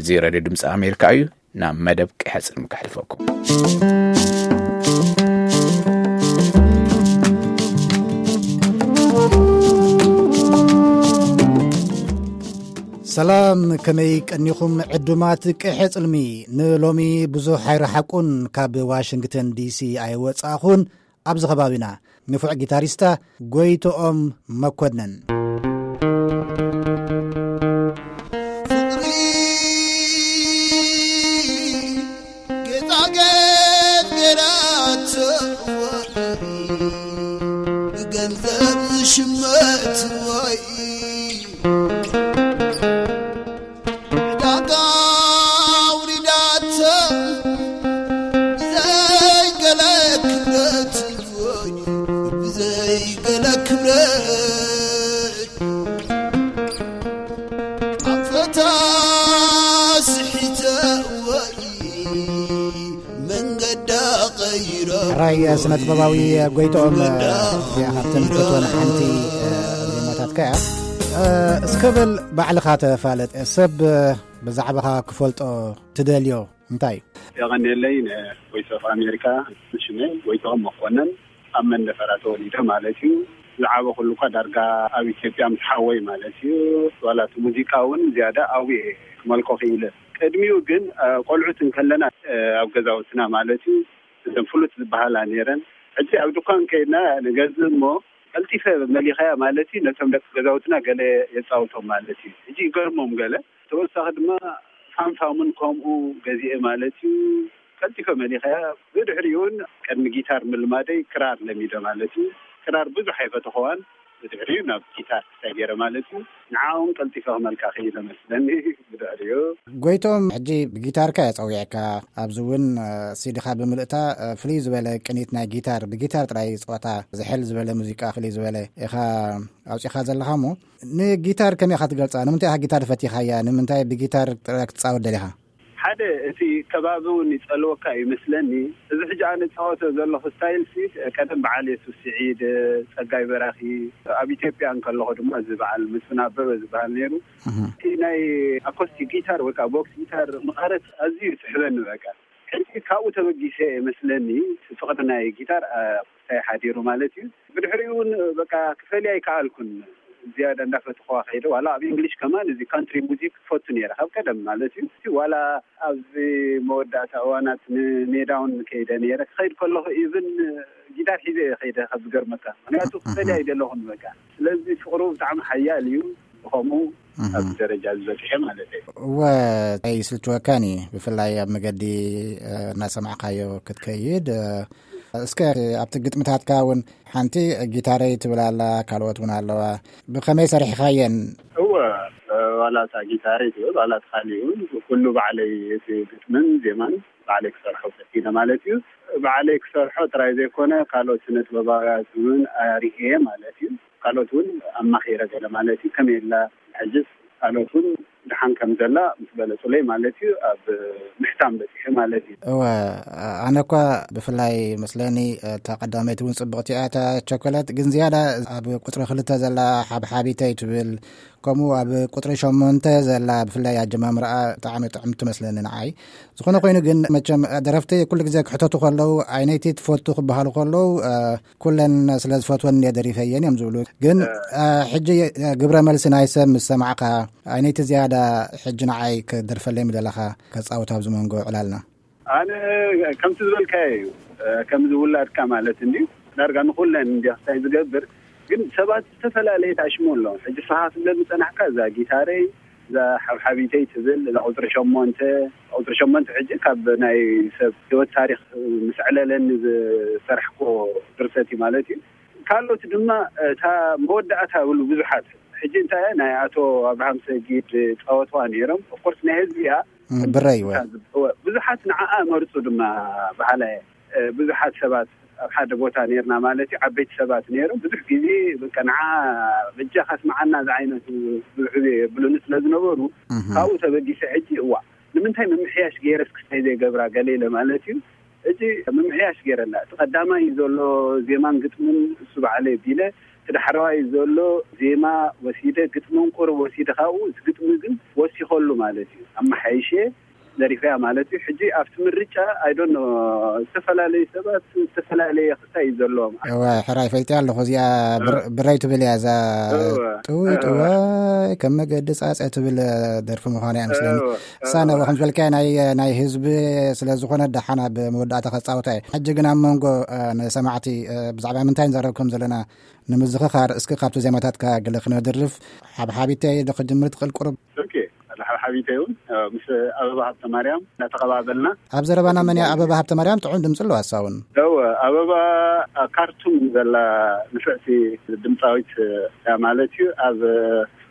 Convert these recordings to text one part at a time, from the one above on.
እዚ ሬድዮ ድምፂ ኣሜሪካ እዩ። ናብ መደብ ቅሐ ጽልሚ ከሕልፈኩም። ሰላም፣ ከመይ ቀኒኹም ዕዱማት ቅሐ ጽልሚ? ንሎሚ ብዙሕ ኣይረሓቁን ካብ ዋሽንግተን ዲሲ ኣይወጻኹን። ኣብዚ ከባቢና ንፉዕ ጊታሪስታ ጎይቶኦም መኮነን። ፍቕሪ ጌጣጌጥ ገይራቶ፣ ብገንዘብ ዝሽመት ወይ ዕዳጋ ኣውሪዳቶ፣ ብዘይ ገለ ክብረት ወይ ብዘይ ገለ ክብረት ኣንፈታ ስሒተ ወይ መንገዳ ቀይረ። ሕራይ ስነ ጥበባዊ ጎይቶኦም፣ እዚኣ ካብተን ፈትወን ሓንቲ ዜማታትካ እያ። እስከ በል ባዕልኻ ተፋለጥ፣ ሰብ ብዛዕባኻ ክፈልጦ ትደልዮ እንታይ እዩ? የቐንየለይ ንቮይስ ኦፍ ኣሜሪካ። ሽመይ ጎይቶኦም መኮነን፣ ኣብ መንደፈራ ተወሊደ ማለት እዩ። ዝዓበኹሉ እኳ ዳርጋ ኣብ ኢትዮጵያ ምስ ሓወይ ማለት እዩ። ዋላ እቲ ሙዚቃ እውን ዝያዳ ኣብኡ እየ ክመልኮ ክኢለ። ቅድሚኡ ግን፣ እ፣ ቆልዑት እንከለና፣ እ፣ ኣብ ገዛውትና ማለት እዩ፣ እዘን ፍሉጥ ዝበሃላ ነይረን። ሕጂ ኣብ ድኳን ከይድና ንገዝእ እሞ ቀልጢፈ መሊኸያ ማለት እዩ። ነቶም ደቂ ገዛውትና ገለ የጻውቶም ማለት እዩ። ሕጂ ይገርሞም ገለ። ተወሳኺ ድማ ፋምፋምን ከምኡ ገዚኤ ማለት እዩ። ቀልጢፈ መሊኸያ። ብድሕሪኡ እውን ቅድሚ ጊታር ምልማደይ ክራር ለሚደ ማለት እዩ። ክራር ብዙሕ ኣይፈተኸዋን። ብድሕሪኡ ናብ ጊታር ክሳይ ገይረ ማለት እዩ። ንዓውን ቀልጢፈ ክመልካ ክኢለ መስለኒ። ብድሕሪኡ ጎይቶም፣ ሕጂ ብጊታርካ እየ ጸዊዕካ። ኣብዚ እውን፣ እ፣ ሲዲኻ ብምልእታ፣ እ፣ ፍልይ ዝበለ ቅኒት ናይ ጊታር፣ ብጊታር ጥራይ ጸወታ፣ ዝሕል ዝበለ ሙዚቃ፣ ፍልይ ዝበለ ኢኻ ኣውጺኻ ዘለኻ እሞ፣ ንጊታር ከመይ ኢኻ ትገልጻ? ንምንታይ ኢኻ ጊታር ፈቲኻያ? ንምንታይ ብጊታር ጥራይ ክትጻወት ደሊኻ? ሓደ፣ እቲ ከባቢ እውን ይጸልወካ እዩ ይመስለኒ። እዚ ሕጂ ኣነ እጻወቶ ዘለኹ ስታይል ሲ፣ ቀደም በዓል የሱስ ስዒድ፣ ጸጋይ በራኺ፣ ኣብ ኢትዮጵያ እንከለኹ ድማ እዚ በዓል መስፍን ኣበበ ዝበሃል ነይሩ። እህ። እቲ ናይ ኣኮስቲክ ጊታር ወይ ከዓ ቦክስ ጊታር መቐረት ኣዝዩ ይስሕበኒ በቃ። ሕጂ ካብኡ ተበጊሰ ይመስለኒ ፍቕሪ ናይ ጊታር፣ አ፣ ውስጣይ ሓዲሩ ማለት እዩ። ብድሕሪኡ እውን በቃ ክፈልያ ኣይከኣልኩን። ዝያዳ እንዳፈትኹዋ ከይደ። ዋላ ኣብ እንግሊሽ ከማን እዚ ካንትሪ ሙዚክ ክፈቱ ነይረ ካብ ቀደም ማለት እዩ። ዋላ ኣብዚ መወዳእታ እዋናት ንሜዳ እውን ከይደ ነይረ። ክኸይድ ከለኹ ኢቭን ጊታር ሒዘ እየ ከይደ ካብ ዝገርመካ። ምክንያቱ ክፈልያ ኣይደለኹን በቃ። ስለዚ ፍቕሩ ብጣዕሚ ሓያል እዩ። ብኸምኡ እህ። ኣብዚ ደረጃ ዝበፅሐ ማለት እዩ። እወ፣ ኣይስልችወካን እዩ። ብፍላይ ኣብ መገዲ፣ እ፣ እናሰማዕካዮ ክትከይድ፣ እ፣ እስከ ኣብቲ ግጥምታትካ እውን ሓንቲ ጊታረይ ትብል ኣላ፣ ካልኦት እውን ኣለዋ። ብኸመይ ሰሪሕኻየን? እወ፣ ዋላ እታ ጊታረይ ትብል፣ ዋላ እቲ ካሊእ እውን፣ ኩሉ ባዕለይ፣ እቲ ግጥምን ዜማን ባዕለይ ክሰርሖ ፈቲነ ማለት እዩ። ባዕለይ ክሰርሖ ጥራይ ዘይኮነ፣ ካልኦት ስነ ጥበባውያት እውን ኣርኢየ ማለት እዩ። ካልኦት እውን ኣማኺረ ገለ ማለት እዩ። ከመይ ኣላ ሕጅስ ካልኦት እውን ደሓን ከም ዘላ ምስ ገለጹለይ ማለት እዩ፣ ኣብ ምሕታም በጺሐ ማለት እዩ። እወ፣ ኣነ እኳ ብፍላይ መስለኒ እታ ቀዳመይቲ እውን ጽብቕቲ እያ፣ እታ ቸኮለት፣ ግን ዝያዳ ኣብ ቁጽሪ ክልተ ዘላ ሓብሓቢተይ ትብል፣ ከምኡ ኣብ ቁጽሪ ሸሞንተ ዘላ ብፍላይ ኣጀማምራኣ ብጣዕሚ ጥዕምቲ ትመስለኒ ንዓይ። ዝኾነ ኮይኑ ግን መቸም ደረፍቲ ኩሉ ግዜ ክሕተቱ ከለዉ ኣይነይቲ ትፈቱ ክበሃሉ ከለዉ፣ እ፣ ኩለን ስለ ዝፈትወን እየ ደሪፈየን እዮም ዝብሉ። ግን፣ እ፣ ሕጂ፣ እ፣ ግብረ መልሲ ናይ ሰብ ምስ ሰማዕካ፣ ኣይነይቲ ዝያዳ ሕጂ ንዓይ ክደርፈለይ ምደለኻ ከጻውት ኣብዚ መንጎ ዕላልና? ኣነ ከምቲ ዝበልካዮ እዩ፣ እ፣ ከምዚ ውላድካ ማለት እንድዩ። ዳርጋ ንኹለን እንድዩ ክሳይ ዝገብር፣ ግን ሰባት ዝተፈላለየ ተኣሽሞ ኣለዉ። ሕጂ ስኻ ክትብለኒ ዝጸናሕካ እዛ ጊታረይ፣ እዛ ሓብሓቢተይ ትብል፣ እዛ ቁጽሪ ሸሞንተ፣ ቁጽሪ ሸሞንተ ሕጂ ካብ ናይ ሰብ ህይወት ታሪኽ ምስ ዕለለኒ ዝሰርሕኮ ድርሰት እዩ ማለት እዩ። ካልኦት ድማ እታ መወዳእታ ብሉ ብዙሓት፣ ሕጂ እንታይ እያ፣ ናይ ኣቶ ኣብርሃም ሰጊድ ጻወትዋ ነይሮም። ኦፍኮርስ ናይ ህዝቢ እያ። እም፣ ብረይ እወ። እታ ዝብ-፣ እወ፣ ብዙሓት ንዓኣ መርጹ ድማ በሃላይ እየ። እ፣ ብዙሓት ሰባት ኣብ ሓደ ቦታ ነይርና ማለት እዩ፣ ዓበይቲ ሰባት ነይሮም። ብዙሕ ግዜ በቃ ንዓ በጃኻ ስምዓና ዝዓይነቱ ብዙሕ ግዜ የብሉኒ ስለ ዝነበሩ፣ እህ። ካብኡ ተበጊሰ ሕጂ፣ እዋ፣ ንምንታይ ምምሕያሽ ገይረስ ክስታይ ዘይገብራ ገለ ኢለ ማለት እዩ። ሕጂ ምምሕያሽ ገይረላ፣ እቲ ቀዳማይ ዘሎ ዜማን ግጥምን እሱ በዓለይ ቢለ፣ እቲ ዳሕረዋይ ዘሎ ዜማ ወሲደ፣ ግጥሚ እንቁር ወሲደ፣ ካብኡ እቲ ግጥሚ ግን ወሲኸሉ ማለት እዩ። ኣመሓይሸ ደሪፈያ ማለት እዩ። ሕጂ ኣብቲ ምርጫ፣ I don't know፣ ዝተፈላለዩ ሰባት ዝተፈላለየ ክስታይ እዩ ዘለዎም። እወ፣ ሕራይ ፈልጥያ ኣለኹ። እዚኣ ብር-፣ ብረይ ትብል እያ እዛ። እወ፣ ጥውይ እወ። ጥዋይ ከም መገዲ ጻጸ ትብል ደርፊ ምዃኑ እያ ምስለኒ። እወ፣ እሳ እወ። ነብኹም ዝበልካዮ ናይ፣ ናይ ህዝቢ ስለ ዝኾነ ደሓን ኣብ መወዳእታ ከጻውታ እየ። ሕጂ ግን ኣብ መንጎ፣ እ፣ ንሰማዕቲ፣ እ፣ ብዛዕባ ምንታይ ንዛረብ ከም ዘለና ንምዝኽኻር፣ እስኪ ካብቲ ዜማታትካ ገለ ክነድርፍ። ሓብሓቢተይ ዶ ክጅምር ትኽእል ቁሩብ? ኦኬ፣ ሓብሓቢተይ እውን፣ እ፣ ምስ ኣበባ ሃብተ ማርያም እናተቐባበልና። ኣብ ዘረባና መን እያ ኣበባ ሃብተ ማርያም? ጥዑም ድምፂ ኣለዋ እሳ እውን። እወ፣ ኣበባ ኣብ ካርቱም ዘላ ንፍዕቲ ድምፃዊት እያ ማለት እዩ። ኣብ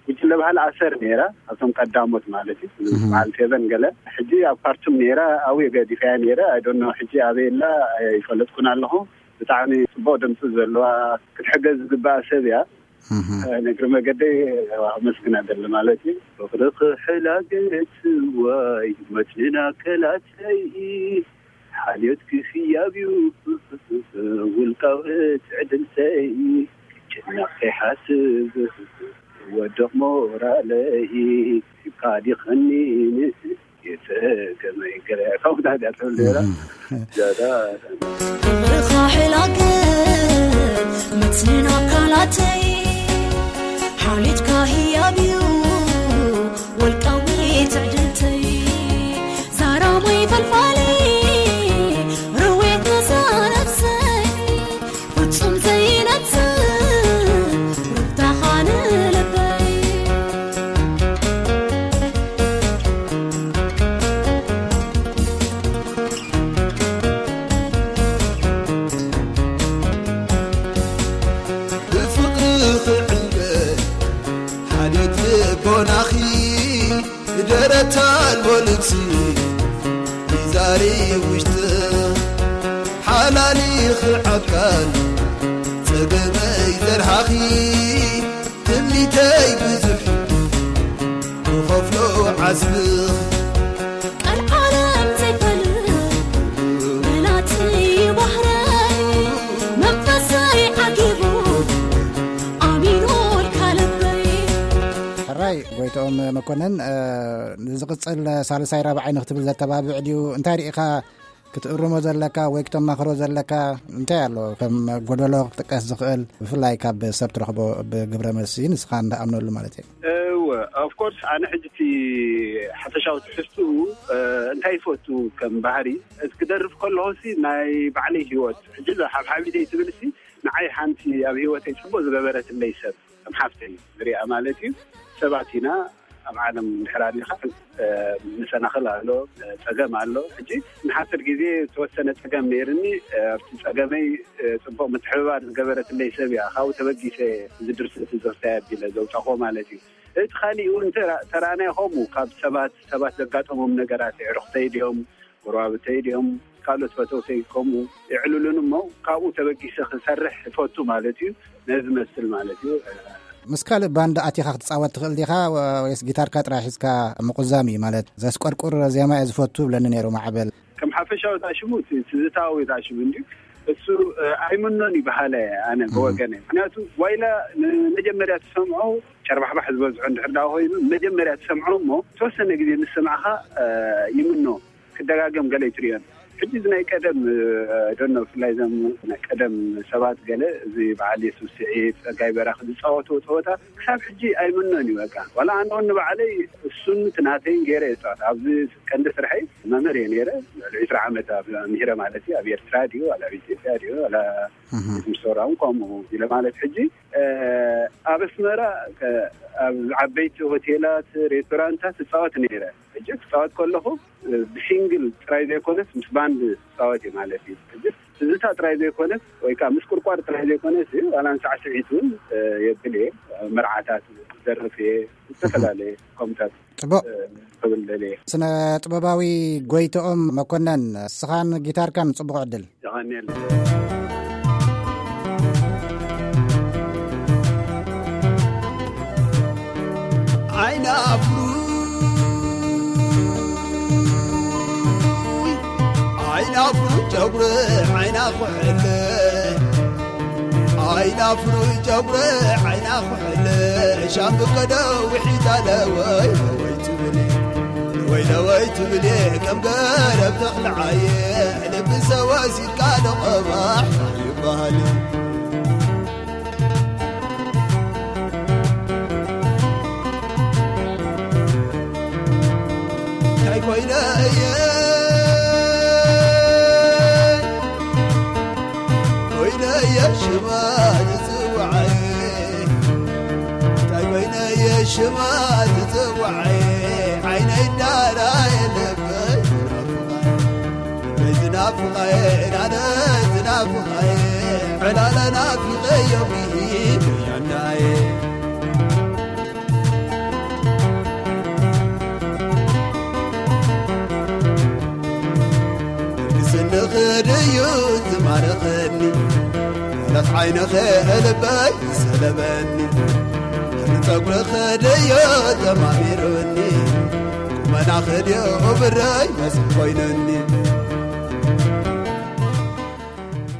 ጉጅለ ባህሊ ኣሰር ነይራ፣ ኣብቶም ቀዳሞት ማለት እዩ። እህ። በዓል ፌቨን ገለ። ሕጂ ኣብ ካርቱም ነይራ፣ ኣብኡ ገዲፈያ ነይረ። I don't know ሕጂ ኣበይ ኣላ፣ ኣይፈለጥኩን ኣለኹ። ብጣዕሚ ጽቡቕ ድምጺ ዘለዋ፣ ክትሕገዝ ዝግባኣ ሰብ እያ። እህ። እ፣ ንእግሪ መገደይ ኣመስግና ደሊ ማለት እዩ። ፍቕርኺ ሕላገት ዋይ መትንና ከላተይ፣ ሓልዮትኪ ህያብ እዩ ውልቃዊ ትዕድልተይ። ክጭነቕ ከይሓስብ ወድቕ ሞራለይ፣ ካዲኸኒ የጸገመይ ገለ ከምኡ ዳድያ ትብል ነይራ። እህ። ዛዳ ፍቕርኻ ሕላገት መትንን ኣካላተይ፣ ሓልዮትካ ህያብ እዩ ወልቃዊ ትዕድልተይ። ዛራሞይ ፈልፋሊ ርዌት ነዛ ነብሰይ፣ ፍጹም ዘይነጽር ሩታኻ ንልበይ። ብፍቕሪ ክዕንገል ሓልዮት ልቦናኺ፣ ደረት ኣልቦ ልብሲ ይዛሪ ውሽጢ፣ ሓላሊ ክዓካል ጸገመይ ዘርሃኺ፣ ትምኒተይ ብዙሕ ክኸፍሎ ዓስቢ። ቀልዓለም ዘይፈልጥ ብላቲ ባህረይ፣ መንፈሰይ ዓጊቡ ኣሚኑ ልካ ልበይ። ሕራይ ጎይትኦም መኮነን፣ እ፣ ዝቕጽል ሳልሳይ ራብዓይ ንክትብል ዘተባብዕ ድዩ? እንታይ ርኢኻ ክትእርሞ ዘለካ ወይ ክተማኽሮ ዘለካ እንታይ ኣሎ? ከም ጎደሎ ክጥቀስ ዝኽእል፣ ብፍላይ ካብ ሰብ ትረኽቦ ብግብረ መልሲ ንስኻ እንዳኣምነሉ ማለት እየ። እወ፣ of course፣ ኣነ ሕጂ እቲ ሓፈሻዊ ትሕዝትኡ፣ እ፣ እንታይ ይፈቱ ከም ባህሪ፣ እቲ ክደርፍ ከለኹሲ ናይ ባዕለይ ህይወት፣ ሕጂ እዛ ሓብሓቢተይ ትብልሲ ንዓይ ሓንቲ ኣብ ህይወተይ ጽቡቕ ዝገበረትለይ ሰብ ከም ሓፍተይ ዝሪኣ ማለት እዩ። ሰባት ኢና፣ ኣብ ዓለም እንድሕር ኣሊኻ፣ እ፣ መሰናኽል ኣሎ፣ እ፣ ጸገም ኣሎ። ሕጂ ንሓጺር ግዜ ዝተወሰነ ጸገም ነይርኒ፣ እ፣ ኣብቲ ጸገመይ፣ እ፣ ጽቡቕ ምትሕብባር ዝገበረትለይ ሰብ እያ። ካብኡ ተበጊሰ እዚ ድርሰት እዚ ክሳይ ኣቢለ ዘውጻኹዎ ማለት እዩ። እቲ ካሊእ እውን ተራ-፣ ተራእናዮ ከምኡ ካብ ሰባት፣ ሰባት ዘጋጠሞም ነገራት፣ የዕሩኽተይ ድዮም፣ ጎረባብተይ ድዮም፣ ካልኦት ፈተውተይ ከምኡ የዕልሉን እሞ ካብኡ ተበጊሰ ክሰርሕ እፈቱ ማለት እዩ። ነዚ መስል ማለት እዩ። ምስ ካልእ ባንድ ኣቲኻ ክትጻወት ትኽእል ዲኻ ወ-፣ ወይስ ጊታርካ ጥራይ ሒዝካ ምቁዛም እዩ? ማለት ዘስቆርቁር ዜማ እየ ዝፈቱ ብለኒ ነይሩ ማዕበል። ከም ሓፈሻዊ ታሽሙ እቲ ትዝታዊ ታሽሙ እንድዩ። እሱ፣ እ፣ ኣይምኖን ይበሃለ ኣነ እህ። ብወገነ። ምክንያቱ ዋይላ ንመጀመርያ ትሰምዖ ጨርባሕባሕ ዝበዝሖ እንድሕር ደኣ ኮይኑ መጀመርያ ትሰምዖ እሞ ተወሰነ ግዜ ምስ ሰማዕኻ፣ እ፣ ይምኖ። ክደጋገም ገለ ይትርእዮን። ሕጂ እዚ ናይ ቀደም፣ እ፣ ዶኖ ብፍላይ እዞም ናይ ቀደም ሰባት ገለ እዚ በዓል የሱስ ስዒድ፣ ጸጋይ በራኺ ዝጻወትዎ ጸወታ ክሳብ ሕጂ ኣይምኖን እዩ በቃ። ዋላ ኣነ እውን ንባዕለይ እሱን እቲ ናተይን ገይረ እየ ዝጻወት። ኣብዚ ቀንዲ ስርሐይ መምህር እየ ነይረ። ልዕሊ ዕስራ ዓመት ኣብ ምሂረ ማለት እዩ። ኣብ ኤርትራ ድዩ፣ ዋላ ኣብ ኢትዮጵያ ድዩ፣ ዋላ እህ። ምስ ሰውራ እውን ከምኡ ኢለ ማለት ሕጂ፣ እ፣ ኣብ ኣስመራ ከ-፣ ኣብ ዓበይቲ ሆቴላት፣ ሬስቶራንታት እጻወት ነይረ። ሕጂ ክጻወት ከለኹ፣ እ፣ ብሲንግል ጥራይ ዘይኮነስ ምስ ባንድ ክጻወት እዩ ማለት እዩ። ሕጂ ትዝታ ጥራይ ዘይኮነስ ወይ ከኣ ምስ ቁርቋር ጥራይ ዘይኮነስ እዩ፣ ዋላ ንሳዕስዒት እውን፣ እ፣ የብል እየ። መርዓታት ክደርፍ እየ፣ ዝተፈላለየ ከምታት፣ ጽቡቕ። እ፣ ክብል ደልየ። ስነ ጥበባዊ ጎይትኦም መኮነን፣ ንስኻን ጊታርካን ጽቡቕ ዕድል። የቐንየልና። ዓይኒ ኣፍሩ፣ ዓይኒ ኣፍሩ ጨጉሪ ዓይና ኩሕለ፣ ዓይና ፍሩይ ጨጉረ ዓይና ኩሕለ ሻምብቆ ደዊሒታ ለወይ ለወይ ትብል ለወይ ለወይ ትብል ከም ገረብ ተኽልዓየ ልቢ ሰወሲድካ ደቐባሕ ይበሃል። እንታይ ኮይነ እየ ኮይነ እየ ሽማ ዝጽዋዓይ እንታይ ኮይነ እየ ሽማ ዝጽዋዓይ ዓይነይ እንዳራየ ልበይ ዝናፍቓይ ልበይ ዝናፍቓይ ናነ ዝናፍቓይ ዕላለ ናፊቐዮ ብሂድ ያዳየ ንስንኺ ድዩ ዝማረኸኒ? ማለት ዓይንኺ ልበይ ዝሰለበኒ? ንጸጉርኺ ድዩ ተማሚሩኒ? ቁመናኺ ድዩ ብረይ መስል ኮይኑኒ?